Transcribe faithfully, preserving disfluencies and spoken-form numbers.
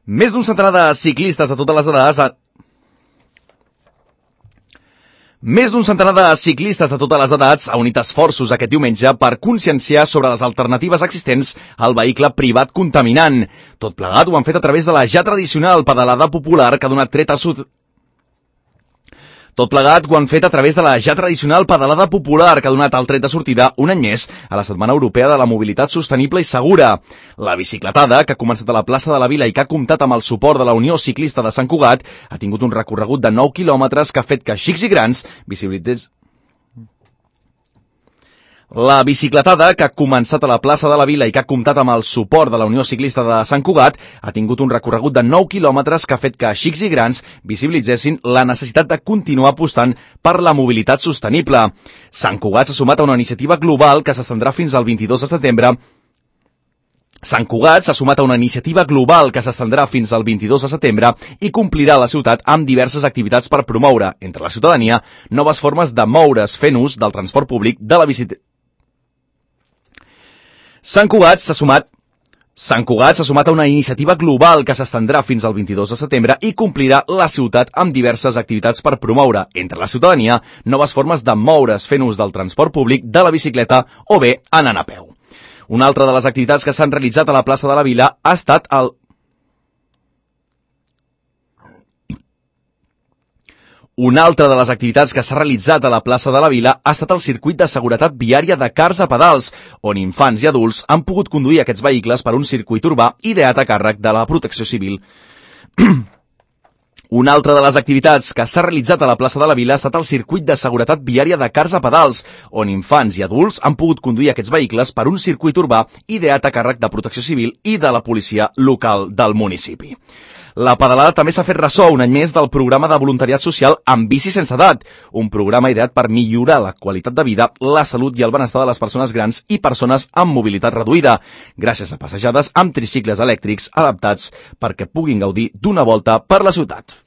Més d'un centenar de ciclistes de totes les edats... A... Més d'un centenar de ciclistes de totes les edats ha unit esforços aquest diumenge per conscienciar sobre les alternatives existents al vehicle privat contaminant. Tot plegat ho han fet a través de la ja tradicional pedalada popular que ha donat tret a sud... Tot plegat ho han fet a través de la ja tradicional pedalada popular que ha donat el tret de sortida un any més a la Setmana Europea de la Mobilitat Sostenible i Segura. La bicicletada, que ha començat a la plaça de la Vila i que ha comptat amb el suport de la Unió Ciclista de Sant Cugat, ha tingut un recorregut de nou quilòmetres que ha fet que xics i grans visibilités... La bicicletada, que ha començat a la plaça de la Vila i que ha comptat amb el suport de la Unió Ciclista de Sant Cugat, ha tingut un recorregut de nou quilòmetres que ha fet que xics i grans visibilitzessin la necessitat de continuar apostant per la mobilitat sostenible. Sant Cugat s'ha sumat a una iniciativa global que s'estendrà fins al vint-i-dos de setembre Sant Cugat s'ha sumat a una iniciativa global que s'estendrà fins al vint-i-dos de setembre i complirà la ciutat amb diverses activitats per promoure, entre la ciutadania, noves formes de moure's fent ús del transport públic de la bicicleta. Sant Cugat s'ha sumat Sant Cugat s'ha sumat a una iniciativa global que s'estendrà fins al vint-i-dos de setembre i complirà la ciutat amb diverses activitats per promoure, entre la ciutadania, noves formes de moure's fent ús del transport públic, de la bicicleta o bé anant a peu. Una altra de les activitats que s'han realitzat a la plaça de la Vila ha estat el... Una altra de les activitats que s'ha realitzat a la plaça de la Vila ha estat el circuit de seguretat viària de cars a pedals, on infants i adults han pogut conduir aquests vehicles per un circuit urbà ideat a càrrec de la Protecció Civil. Una altra de les activitats que s'ha realitzat a la plaça de la Vila ha estat el circuit de seguretat viària de cars a pedals, on infants i adults han pogut conduir aquests vehicles per un circuit urbà ideat a càrrec de Protecció Civil i de la policia local del municipi. La pedalada també s'ha fet ressò un any més del programa de voluntariat social Amb bici sense edat, un programa ideat per millorar la qualitat de vida, la salut i el benestar de les persones grans i persones amb mobilitat reduïda, gràcies a passejades amb tricicles elèctrics adaptats perquè puguin gaudir d'una volta per la ciutat.